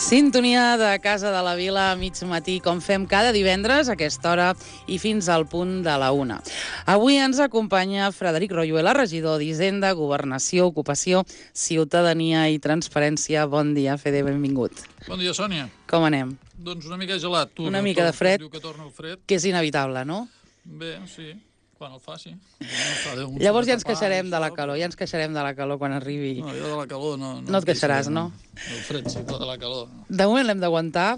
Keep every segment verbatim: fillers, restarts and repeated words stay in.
Sintonia de Casa de la Vila a mig matí, com fem cada divendres a aquesta hora i fins al punt de la una. Avui ens acompanya Frederic Royuela, regidor d'Hisenda, Governació, Ocupació, Ciutadania i Transparència. Bon dia, Fede, benvingut. Bon dia, Sònia. Com anem? Doncs una mica gelat. Tu, una mica de fred, diu que torna el fred, que és inevitable, no? Bé, sí. Quan el faci. Llavors ja ens queixarem de la calor, ja ens queixarem de la calor quan arribi. No, jo de la calor no... No, no et queixaràs, no? El fred sí, però de la calor no. De moment l'hem d'aguantar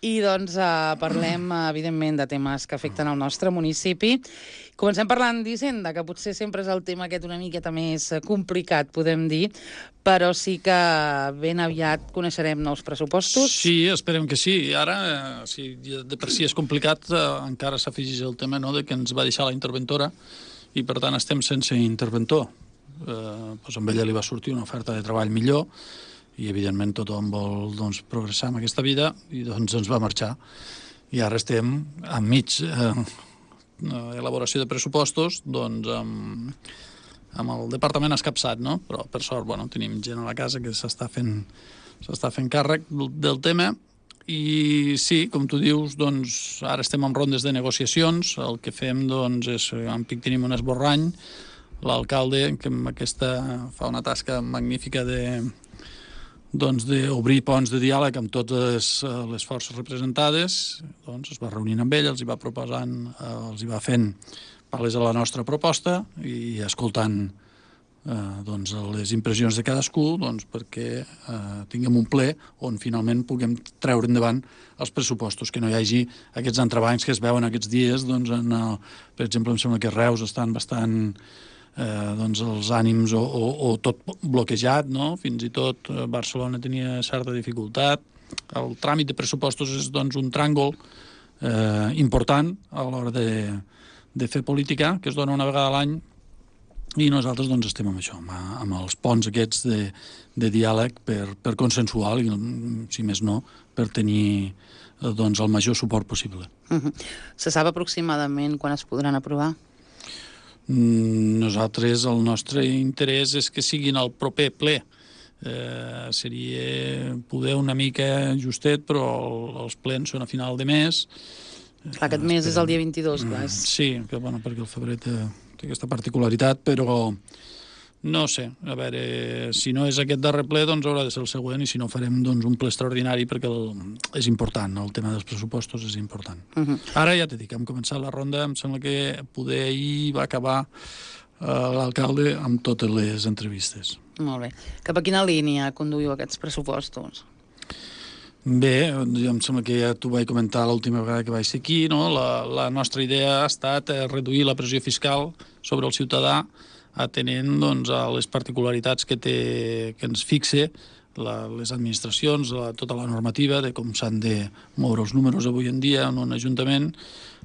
i doncs eh, parlem, evidentment, de temes que afecten el nostre municipi. Comencem parlant d'Hisenda, que potser sempre és el tema aquest una miqueta més complicat, podem dir, però sí que ben aviat coneixerem nous pressupostos. Sí, esperem que sí. I ara, eh, si de per si és complicat, eh, encara s'afegeix el tema, no?, de que ens va deixar la interventora i, per tant, estem sense interventor. Eh, doncs amb ella li va sortir una oferta de treball millor i, evidentment, tothom vol doncs, progressar en aquesta vida i doncs ens va marxar. I ara estem enmig eh, elaboració de pressupostos, doncs amb, amb el departament escapçat, no? Però, per sort, bueno, tenim gent a la casa que s'està fent, s'està fent càrrec del tema. I sí, com tu dius, doncs, ara estem en rondes de negociacions. El que fem, doncs, és, en Pic tenim un esborrany, l'alcalde, que amb aquesta fa una tasca magnífica de doncs d'obrir ponts de diàleg amb totes les forces representades, doncs es va reunint amb ell, els hi va proposant, els hi va fent pales a la nostra proposta i escoltant eh, doncs, les impressions de cadascú doncs, perquè eh, tinguem un ple on finalment puguem treure endavant els pressupostos, que no hi hagi aquests entrebancs que es veuen aquests dies, doncs, en el, per exemple, em sembla que Reus estan bastant Eh, doncs els ànims o, o, o tot bloquejat, no? Fins i tot eh, Barcelona tenia certa dificultat. El tràmit de pressupostos és doncs, un tràngol eh, important a l'hora de, de fer política, que es dona una vegada a l'any, i nosaltres doncs, estem amb això, amb, amb els ponts aquests de, de diàleg per, per consensuar, i, si més no, per tenir eh, doncs, el major suport possible. Uh-huh. Se sap aproximadament quan es podran aprovar? Nosaltres, el nostre interès és que siguin el proper ple. Eh, seria poder una mica justet, però els plens són a final de mes. Clar, aquest mes és el dia vint-i-dos, clar. Sí, que, bueno, perquè el febrer té, té aquesta particularitat, però no sé, a veure, si no és aquest darrer ple, doncs haurà de ser el següent, i si no farem doncs, un ple extraordinari, perquè el, és important, el tema dels pressupostos és important. Uh-huh. Ara ja t'he dit, hem començat la ronda, em sembla que poder ahir va acabar eh, l'alcalde amb totes les entrevistes. Molt bé. Cap a quina línia conduïu aquests pressupostos? Bé, em sembla que ja t'ho vaig comentar l'última vegada que vaig ser aquí, no? La, la nostra idea ha estat reduir la pressió fiscal sobre el ciutadà, atenent doncs, a les particularitats que, té, que ens fixe la, les administracions, la, tota la normativa de com s'han de moure els números avui en dia en un ajuntament.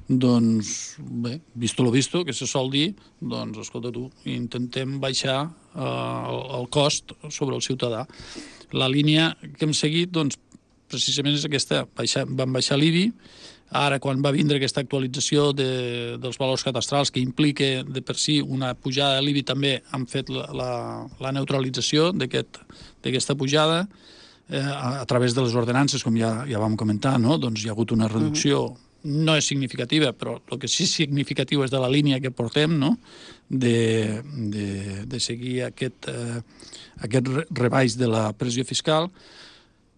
Doncs, bé, visto lo visto, que se sol dir, doncs, escolta tu, intentem baixar eh, el, el cost sobre el ciutadà. La línia que hem seguit, doncs, precisament és aquesta. Baixa, van baixar l'I B I, ara quan va vindre aquesta actualització de, dels valors cadastrals que implica de per si una pujada de l'I B I, també han fet la, la, la neutralització d'aquesta aquest, pujada eh, a, a través de les ordenances, com ja, ja vam comentar, no? Doncs hi ha hagut una reducció, uh-huh. no és significativa, però el que sí és significatiu és de la línia que portem, no? de, de, de seguir aquest, eh, aquest rebaix de la pressió fiscal.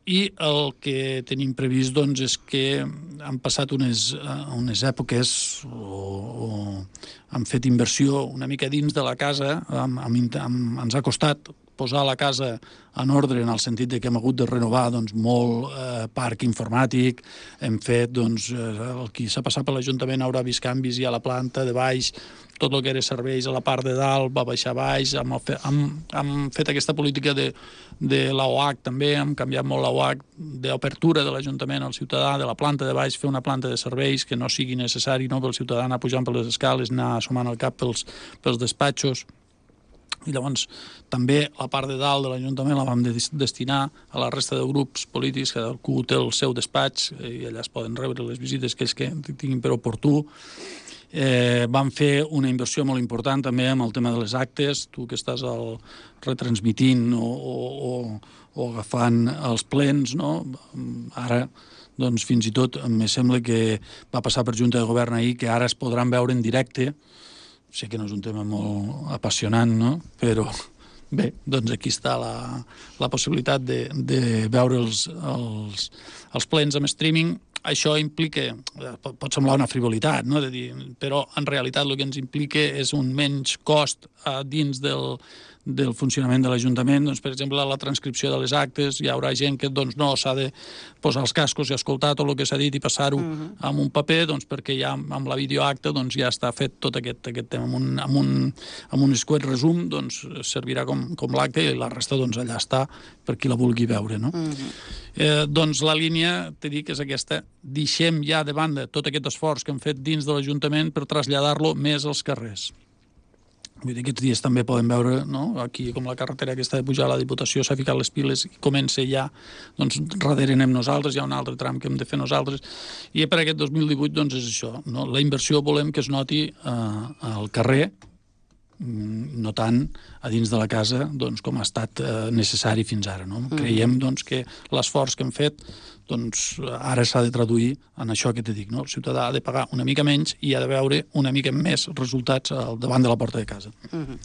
I el que tenim previst doncs, és que han passat unes, unes èpoques o, o han fet inversió una mica dins de la casa, amb, amb, amb, ens ha costat posar la casa en ordre en el sentit de que hem hagut de renovar doncs, molt eh, parc informàtic, hem fet, doncs, eh, el qui s'ha passat per l'Ajuntament haurà vist canvis ja a la planta de baix, tot el que era serveis a la part de dalt va baixar baix, hem, hem, hem fet aquesta política de, de l'A O H també, hem canviat molt l'A O H d'obertura de l'Ajuntament al ciutadà, de la planta de baix, fer una planta de serveis que no sigui necessari no, pel ciutadà anar pujant per les escales, anar assomant el cap pels, pels despatxos. I llavors també la part de dalt de l'Ajuntament la vam de destinar a la resta de grups polítics, que cadascú té el seu despatx i allà es poden rebre les visites que ells que tinguin per oportú. Eh, vam fer una inversió molt important també amb el tema de les actes, tu que estàs el, retransmitint o, o, o, o agafant els plens, no? Ara doncs fins i tot em sembla que va passar per Junta de Govern ahir que ara es podran veure en directe. Sé que no és un tema molt apassionant, no? Però bé, doncs aquí està la, la possibilitat de, de veure els, els, els plens amb streaming. Això implica, pot, pot semblar una frivolitat, no? De dir, però en realitat el que ens implica és un menys cost a dins del, del funcionament de l'Ajuntament. Doncs, per exemple, la transcripció de les actes, hi haurà gent que doncs, no s'ha de posar els cascos i escoltar tot el que s'ha dit i passar-ho uh-huh. amb un paper, doncs, perquè ja amb la videoacta doncs, ja està fet tot aquest, aquest tema. Amb un, amb un, amb un escuet resum doncs, servirà com, com l'acte i la resta doncs, allà està per qui la vulgui veure. No? Uh-huh. Eh, doncs la línia, t'he dit, és aquesta. Deixem ja de banda tot aquest esforç que hem fet dins de l'Ajuntament per traslladar-lo més als carrers. Vull dir, aquests dies també podem veure, no? Aquí, com la carretera que està de pujar a la Diputació, s'ha ficat les piles i comença ja, doncs, darrere anem nosaltres, hi ha un altre tram que hem de fer nosaltres, i per aquest dos mil divuit, doncs, és això, no? La inversió volem que es noti eh, al carrer, no tant a dins de la casa doncs, com ha estat eh, necessari fins ara. No? Mm. Creiem doncs, que l'esforç que hem fet doncs, ara s'ha de traduir en això que t'he dit. No? El ciutadà ha de pagar una mica menys i ha de veure una mica més resultats al davant de la porta de casa. Mm-hmm.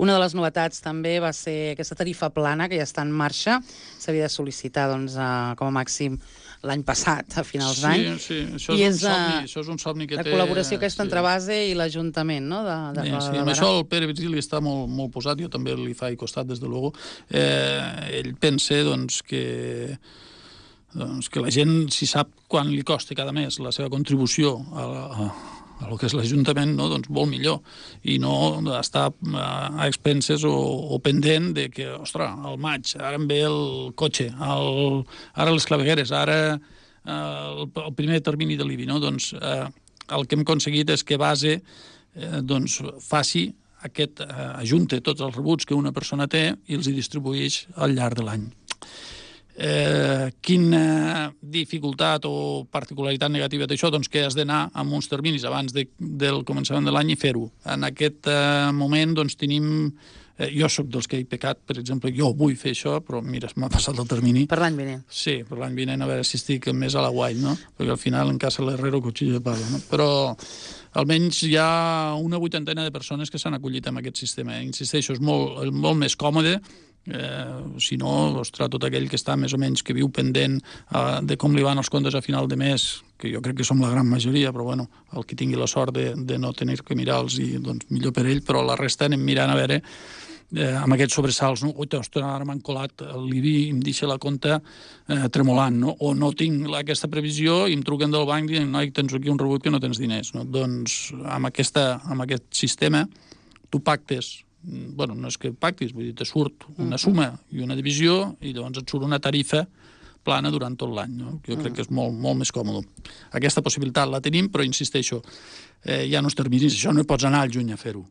Una de les novetats també va ser aquesta tarifa plana que ja està en marxa. S'havia de sol·licitar doncs, a, com a màxim l'any passat, a finals sí, d'any. Sí, això és, és, un somni, això és un somni que la té... La col·laboració aquesta sí. entre base i l'Ajuntament, no? De, de, sí, sí. De Amb això el Pere Virgili està molt, molt posat, jo també li faig costat, des de luego. Eh, ell pensa doncs, que, doncs, que la gent, si sap quan li costa cada mes la seva contribució a la... A a el que és l'Ajuntament, no? Doncs molt millor, i no estar a expenses o, o pendent de que, ostres, al maig, ara em ve el cotxe, el, ara les clavegueres, ara eh, el, el primer termini de l'I B I, no? Doncs eh, el que hem aconseguit és que base eh, doncs, faci aquest, eh, ajunte tots els rebuts que una persona té i els hi distribueix al llarg de l'any. Eh, quina dificultat o particularitat negativa d'això? Doncs que has d'anar amb uns terminis abans de, del començament de l'any i fer-ho. En aquest eh, moment doncs tenim... Eh, jo sóc dels que he pecat, per exemple, jo vull fer això, però mira, m'ha passat el termini. Per l'any vinent. Sí, per l'any vinent, a veure si estic més a la guai, no? Perquè al final en casa l'herrero cuchillo de palo, no? Però almenys hi ha una vuitantena de persones que s'han acollit amb aquest sistema. Insisteixo, és molt, molt més còmode. Eh, si no, ostres, tot aquell que està més o menys que viu pendent eh, de com li van els comptes a final de mes, que jo crec que som la gran majoria, però bueno, el que tingui la sort de, de no tenir que mirar-los, i doncs millor per ell, però la resta anem mirant a veure eh, amb aquests sobresalts, no? Ui, ostres, ara m'han colat l'I B I i em deixa la compta eh, tremolant, no? O no tinc aquesta previsió i em truquen del banc i diuen, noi, tens aquí un rebut que no tens diners, no? Doncs amb, aquesta, amb aquest sistema tu pactes, bueno, no és que pactis, vull dir, te surt una suma i una divisió i llavors et surt una tarifa plana durant tot l'any, no? Jo crec que és molt, molt més còmode. Aquesta possibilitat la tenim, però insisteixo, eh, hi ha uns terminis, això no hi pots anar al juny a fer-ho.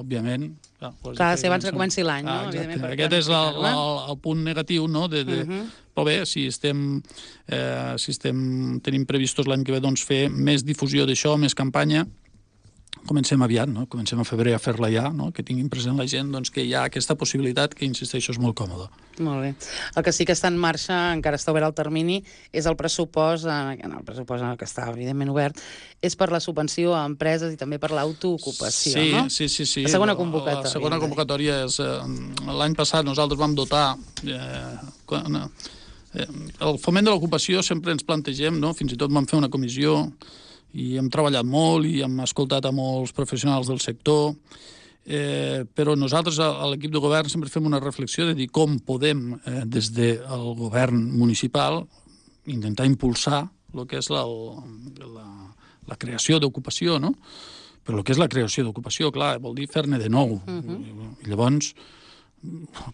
òbviament... Clar, ser abans que comenci l'any, no? Exacte. Aquest és el, el, el punt negatiu, no? De, de... Uh -huh. Però bé, si estem, eh, si estem tenim previstos l'any que ve doncs, fer més difusió d'això, més campanya, comencem aviat, no? Comencem a febrer a fer-la ja, no? Que tinguin present la gent doncs, que hi ha aquesta possibilitat que, insisteixo, és molt còmode. Molt bé. El que sí que està en marxa, encara està obert el termini, és el pressupost, en el pressupost que està evidentment obert, és per la subvenció a empreses i també per l'autoocupació, sí, no? Sí, sí, sí. La segona convocatòria. La segona convocatòria és... Eh, l'any passat nosaltres vam dotar... Eh, quan, eh, el foment de l'ocupació sempre ens plantegem, no? Fins i tot vam fer una comissió i hem treballat molt i hem escoltat a molts professionals del sector, eh, però nosaltres a l'equip de govern sempre fem una reflexió de dir com podem, eh, des del govern municipal, intentar impulsar el que és la, la, la creació d'ocupació, no? Però el que és la creació d'ocupació, clar, vol dir fer-ne de nou. Uh-huh. I llavors,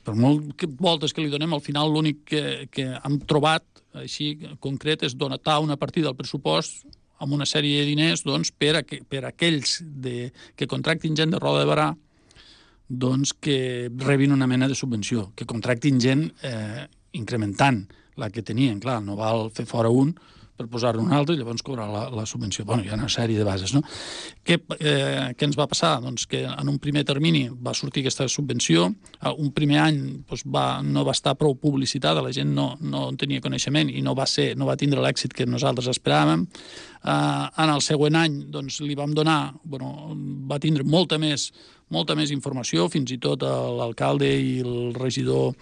per molt que voltes que li donem, al final l'únic que, que hem trobat així concret és donar una partida al pressupost amb una sèrie de diners doncs, per, a, per a aquells de, que contractin gent de Roda de Barà doncs, que rebin una mena de subvenció, que contractin gent eh, incrementant la que tenien. Clar, no val fer fora un per posar-ne un altre i llavors cobrar la, la subvenció. Bueno, hi ha una sèrie de bases, no? Què, eh, què ens va passar? Doncs que en un primer termini va sortir aquesta subvenció, un primer any doncs, va, no va estar prou publicitada, la gent no, no en tenia coneixement i no va, ser, no va tindre l'èxit que nosaltres esperàvem. Uh, en el següent any doncs, li vam donar, bueno, va tindre molta més molta més informació, fins i tot l'alcalde i el regidor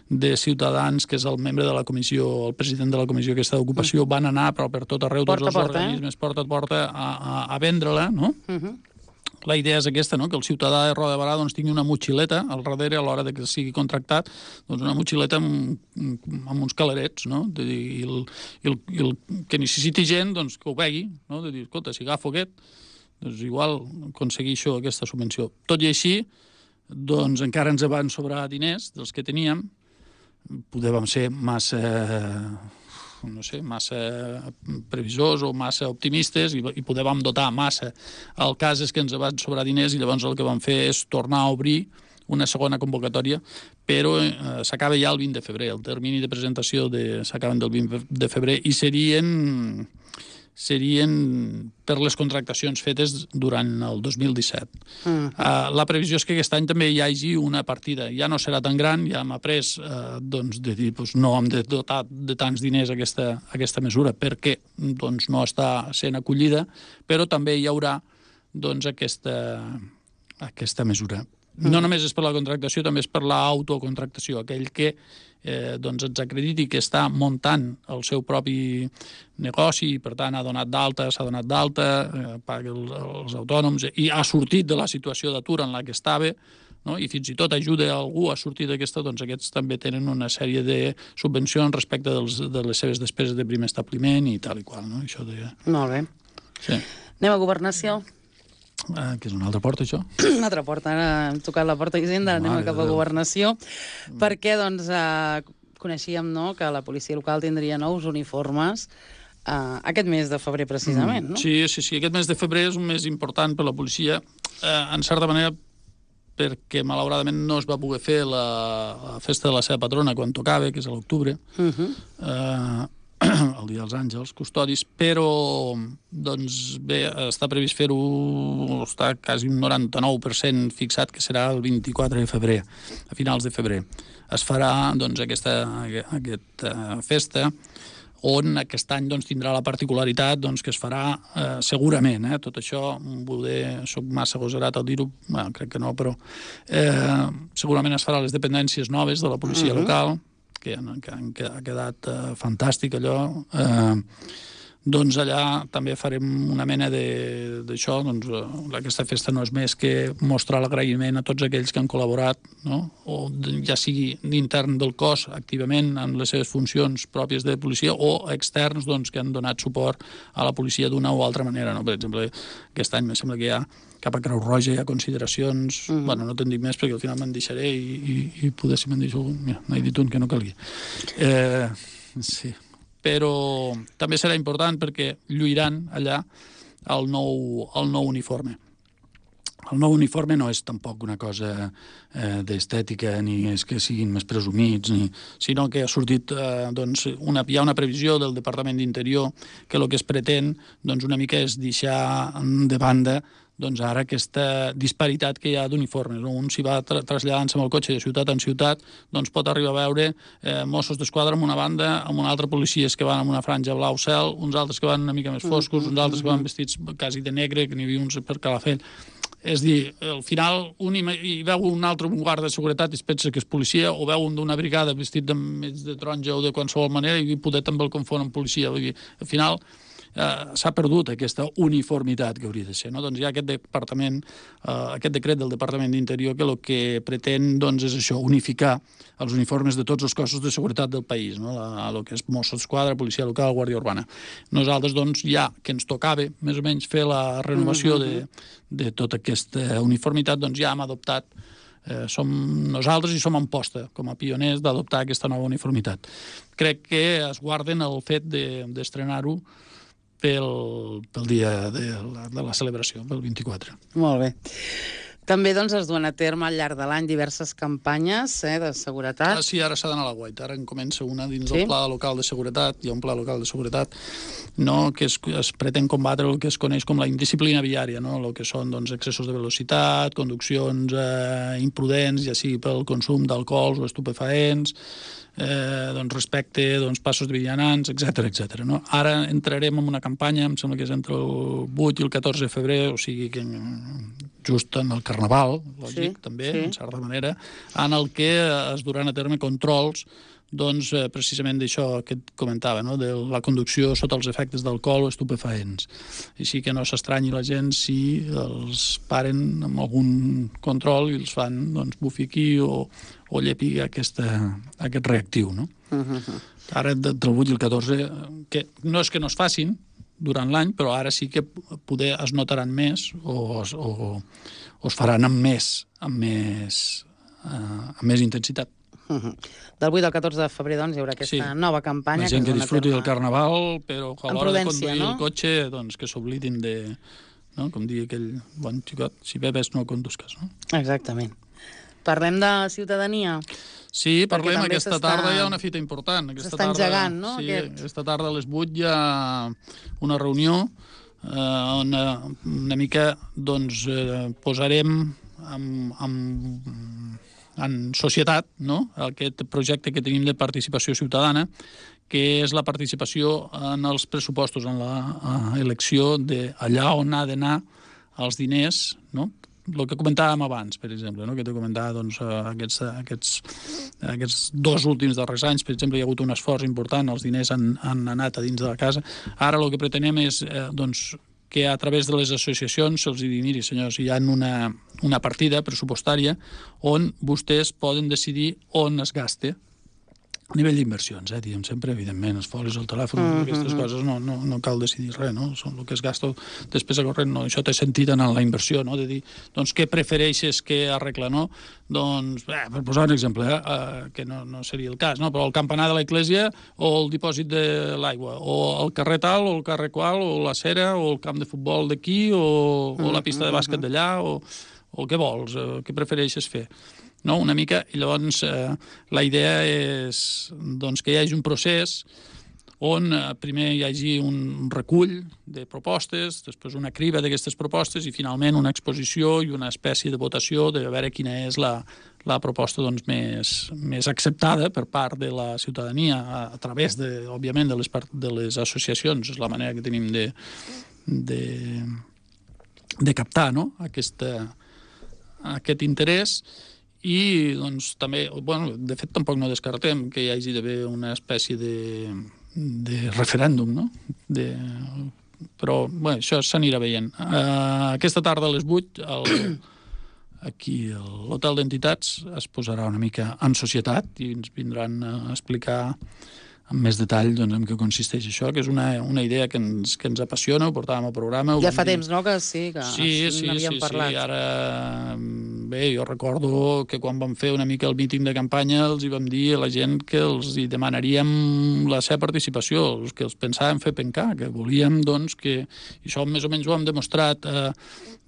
de Ciutadans, que és el membre de la comissió, el president de la comissió aquesta d'ocupació, van anar però per tot arreu, tots els organismes, porta a porta, a, a, a vendre-la, no? Uh-huh. La idea és aquesta, no? Que el ciutadà de Roda de Barà doncs, tingui una motxileta al darrere a l'hora de que sigui contractat, doncs una motxileta amb, amb uns calarets, no? De dir, i, el, i, el, i el que necessiti gent doncs, que ho vegi, no? De dir, escolta, si agafo aquest, doncs igual aconsegueixo aquesta subvenció. Tot i així, doncs encara ens van sobrar diners dels que teníem, podem ser massa, no sé, massa previsors o massa optimistes i, i podem dotar massa. El cas és que ens van sobrar diners i llavors el que vam fer és tornar a obrir una segona convocatòria, però eh, s'acaba ja el vint de febrer. El termini de presentació de, s'acaben del vint de febrer i serien... serien per les contractacions fetes durant el dos mil disset. Uh-huh. Uh, la previsió és que aquest any també hi hagi una partida. Ja no serà tan gran, ja hem après uh, doncs, de dir, doncs, no hem de dotar de tants diners aquesta, aquesta mesura perquè doncs, no està sent acollida, però també hi haurà doncs, aquesta, aquesta mesura. Uh-huh. No només és per la contractació, també és per l'autocontractació, aquell que eh, doncs ens acrediti que està muntant el seu propi negoci i per tant ha donat d'alta, s'ha donat d'alta, eh, paga els, els autònoms i ha sortit de la situació d'atur en la que estava, no? I fins i tot ajuda algú a sortir d'aquesta, doncs aquests també tenen una sèrie de subvencions respecte dels, de les seves despeses de primer establiment i tal i qual, no? Això de... Molt bé. Sí. Anem a Governació. Eh, que és una altra porta, això? Una altra porta. Ara hem tocat la porta d'Hisenda, anem cap a Governació, perquè doncs, eh, coneixíem no, que la policia local tindria nous uniformes eh, aquest mes de febrer, precisament, no? Sí, sí, sí. Aquest mes de febrer és un mes important per la policia, eh, en certa manera perquè malauradament no es va poder fer la, la festa de la seva patrona quan tocava, que és a l'octubre, uh-huh. eh, el Dia dels Àngels, custodis, però doncs bé, està previst fer-ho, està quasi un noranta-nou per cent fixat, que serà el vint-i-quatre de febrer, a finals de febrer. Es farà doncs, aquesta, aquesta festa, on aquest any doncs, tindrà la particularitat doncs, que es farà eh, segurament, eh, tot això, poder, soc massa agosarat al dir-ho, bueno, crec que no, però eh, segurament es farà a les dependències noves de la policia uh-huh. local, que, que, que ha quedat uh, fantàstic allò, eh, doncs allà també farem una mena d'això, doncs uh, aquesta festa no és més que mostrar l'agraïment a tots aquells que han col·laborat, no? O ja sigui d'intern del cos activament en les seves funcions pròpies de policia o externs doncs, que han donat suport a la policia d'una o altra manera, no? Per exemple, aquest any em sembla que hi ha cap a Creu Roja hi ha consideracions, mm. bueno, no te'n dic més perquè al final me'n deixaré i, i, i poder si me'n deixo, mira, n'he dit un que no calia. Eh, sí, però també serà important perquè lluiran allà el nou, el nou uniforme. el nou uniforme no és tampoc una cosa eh, d'estètica, ni és que siguin més presumits, ni, sinó que ha sortit, eh, doncs, una, hi ha una previsió del Departament d'Interior que el que es pretén, doncs, una mica és deixar de banda doncs ara aquesta disparitat que hi ha d'uniformes. No? Un s'hi va tra traslladant-se amb el cotxe de ciutat en ciutat, doncs pot arribar a veure eh, Mossos d'Esquadra amb una banda, amb una altra policies que van amb una franja blau cel, uns altres que van una mica més foscos, uns altres que van vestits quasi de negre, que n'hi havia uns per Calafell. És dir, al final un hi veu un altre guarda de seguretat i es pensa que és policia, o veu un d'una brigada vestit de, de taronja o de qualsevol manera i poder també el confon amb policia. Vull dir, al final Uh, s'ha perdut aquesta uniformitat que hauria de ser. No? Doncs hi ha aquest departament, uh, aquest decret del Departament d'Interior que el que pretén doncs, és això, unificar els uniformes de tots els cossos de seguretat del país, no? La, el que és Mossos d'Esquadra, Policia Local, Guàrdia Urbana. Nosaltres, doncs, ja que ens tocava més o menys fer la renovació de, de tota aquesta uniformitat, doncs ja hem adoptat Eh, som nosaltres i som en posta com a pioners d'adoptar aquesta nova uniformitat. Crec que es guarden el fet d'estrenar-ho de, pel, pel dia de la, de la celebració, pel vint-i-quatre. Molt bé. També doncs, es duen a terme al llarg de l'any diverses campanyes eh, de seguretat. Ah, sí, ara s'ha d'anar a la guaita. Ara en comença una dins sí? del Pla Local de Seguretat. Hi ha un Pla Local de Seguretat no, que es, es pretén combatre el que es coneix com la indisciplina viària, no? El que són doncs, excessos de velocitat, conduccions eh, imprudents, ja sigui pel consum d'alcohols o estupefaents, eh, doncs, respecte doncs, passos de vianants, etcètera etcètera. No? Ara entrarem en una campanya, em sembla que és entre el vuit i el catorze de febrer, o sigui que just en el Carnaval, lògic, sí, també, sí. en certa manera, en el que es duran a terme controls doncs, eh, precisament d'això que et comentava, no? De la conducció sota els efectes d'alcohol o estupefaents. Així que no s'estranyi la gent si els paren amb algun control i els fan doncs, bufi aquí o, o llepi aquesta, aquest reactiu. No? Uh-huh. Ara, entre el vuit i el catorze, que no és que no es facin durant l'any, però ara sí que poder es notaran més o, o, o es faran amb més, amb més, uh, amb més intensitat. Uh-huh. Del vuit al catorze de febrer, doncs, hi haurà aquesta sí. nova campanya. La gent que, que disfruti del Carnaval, però a l'hora de conduir no? el cotxe, doncs, que s'oblidin de, no? com diu aquell bon xicot, si bebes no condusques. No? Exactament. Parlem de ciutadania? Sí, parlem. Aquesta tarda hi ha una fita important. S'està engegant, no? Sí, Aquest... aquesta tarda a les vuit hi ha una reunió eh, on una mica doncs, eh, posarem amb... amb en societat, no? Aquest projecte que tenim de participació ciutadana, que és la participació en els pressupostos, en l'elecció d'allà on ha d'anar els diners, no? El que comentàvem abans, per exemple, no? que t'he comentat doncs, aquests, aquests, aquests dos últims darrers anys, per exemple, hi ha hagut un esforç important, els diners han, han anat a dins de la casa. Ara el que pretenem és eh, doncs, que a través de les associacions se'ls digui, miri, senyors, hi ha una, una partida pressupostària on vostès poden decidir on es gasta a nivell d'inversions, eh, diguem sempre, evidentment, els folis, el telèfon, mm-hmm. aquestes coses, no, no, no cal decidir res, no? Són el que es gasta després a corrent, no? Això té sentit en la inversió, no? De dir, doncs, què prefereixes que arregla, no? Doncs, eh, per posar un exemple, eh, eh, que no, no seria el cas, no? Però el campanar de l'església o el dipòsit de l'aigua, o el carrer tal, o el carrer qual, o la cera, o el camp de futbol d'aquí, o, o la pista de bàsquet d'allà, o, o què vols, eh, què prefereixes fer? No, una mica, i llavors eh, la idea és doncs, que hi hagi un procés on eh, primer hi hagi un recull de propostes, després una criba d'aquestes propostes i finalment una exposició i una espècie de votació de veure quina és la, la proposta doncs, més, més acceptada per part de la ciutadania a, a través, de, òbviament, de les, de les associacions. És la manera que tenim de, de, de captar no? Aquesta, aquest interès. I doncs també, bueno, de fet tampoc no descartem que hi hagi d'haver una espècie de, de referèndum, no? De, però, bé, això s'anirà veient. Uh, aquesta tarda a les vuit, el, aquí a l'Hotel d'Entitats es posarà una mica en societat i ens vindran a explicar amb més detall doncs, en què consisteix això, que és una, una idea que ens, que ens apassiona, ho portàvem al programa. Ja fa temps, no?, que sí, que sí, sí, n'havíem sí, parlat. Sí, ara bé, jo recordo que quan vam fer una mica el míting de campanya els hi vam dir a la gent que els hi demanaríem la seva participació, els que els pensàvem fer pencar, que volíem, doncs, que... I això més o menys ho hem demostrat, eh,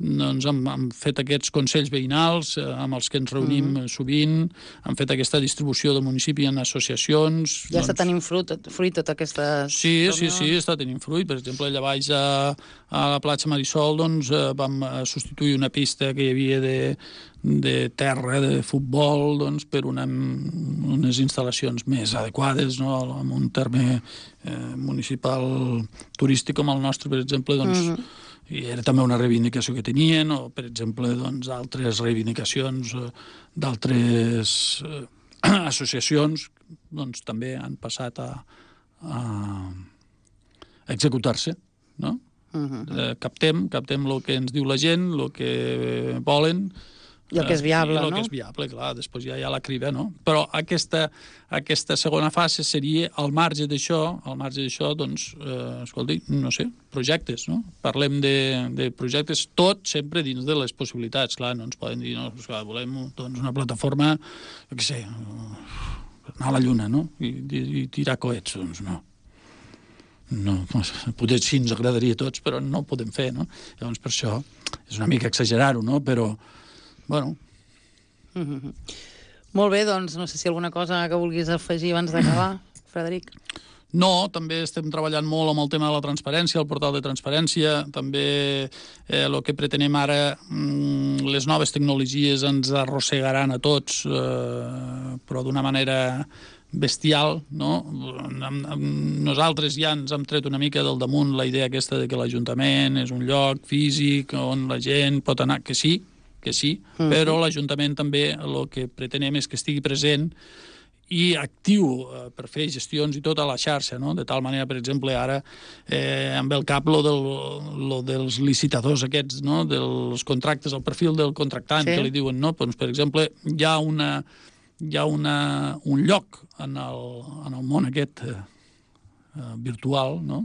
doncs hem, hem fet aquests consells veïnals eh, amb els que ens reunim mm. sovint, hem fet aquesta distribució del municipi en associacions... Ja doncs... està tenint fruit, fruit tota aquesta... Sí, sí, sí, està tenint fruit. Per exemple, allà baix a, a la platja Marisol, doncs, eh, vam substituir una pista que hi havia de, de terra, de futbol, doncs, per una, unes instal·lacions més adequades, no?, en un terme eh, municipal turístic com el nostre, per exemple, doncs, mm-hmm. i era també una reivindicació que tenien, o, per exemple, doncs, altres reivindicacions eh, d'altres eh, associacions, doncs, també han passat a, a executar-se, no? Uh-huh. Eh, captem, captem el que ens diu la gent, el que volen... I el que és viable, eh, no? I el que és viable, clar, després ja hi ha la criba, no? Però aquesta, aquesta segona fase seria, al marge d'això, al marge d'això, doncs, eh, escolti, no sé, projectes, no? Parlem de, de projectes, tot sempre dins de les possibilitats, clar, no ens poden dir, no, clar, volem doncs, una plataforma, jo què sé, anar a la Lluna, no? I, i, i tirar coets, doncs no. No, potser sí ens agradaria a tots, però no ho podem fer, no? Llavors, per això, és una mica exagerar-ho, no? Però, bueno... Mm-hmm. Molt bé, doncs, no sé si alguna cosa que vulguis afegir abans d'acabar, Frederic. No, també estem treballant molt amb el tema de la transparència, el portal de transparència, també eh, el que pretenem ara, mm, les noves tecnologies ens arrossegaran a tots, eh, però d'una manera bestial, no? Nosaltres ja ens hem tret una mica del damunt la idea aquesta de que l'Ajuntament és un lloc físic on la gent pot anar, que sí, que sí, mm. però l'Ajuntament també el que pretenem és que estigui present i actiu eh, per fer gestions i tot a la xarxa, no? De tal manera, per exemple, ara eh, amb el cap lo, del, lo dels licitadors aquests, no? Dels contractes, el perfil del contractant, sí. que li diuen, no? Doncs, per exemple, hi ha una... hi ha una, un lloc en el, en el món aquest eh, virtual, no?,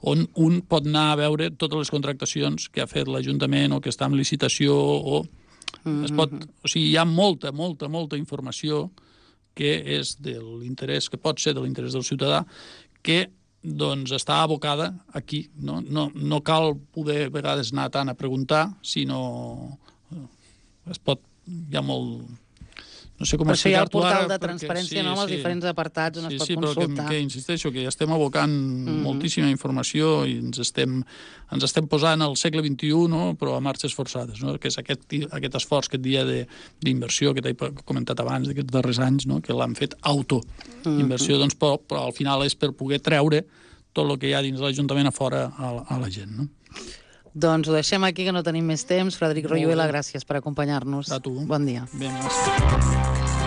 on un pot anar a veure totes les contractacions que ha fet l'Ajuntament o que està en licitació o mm-hmm. es pot... O sigui, hi ha molta, molta, molta informació que és de l'interès, que pot ser de l'interès del ciutadà, que doncs està abocada aquí. No, no, no cal poder a vegades anar tant a preguntar, sinó es pot... Hi ha molt... No sé com per això hi ha el portal ara, de transparència, sí, no, amb els sí. diferents apartats on sí, es pot sí, consultar. Sí, però que, que insisteixo, que ja estem abocant mm-hmm. moltíssima informació i ens estem, ens estem posant al segle vint-i-u, no? Però a marxes forçades, no? Que és aquest, aquest esforç que et dia d'inversió que t'he comentat abans, d'aquests darrers anys, no? Que l'han fet auto-inversió, mm-hmm. doncs, però, però al final és per poder treure tot el que hi ha dins l'Ajuntament a fora a, a la gent, no? Doncs ho deixem aquí, que no tenim més temps. Frederic Royuela, gràcies per acompanyar-nos. A tu. Bon dia. Ben, gràcies.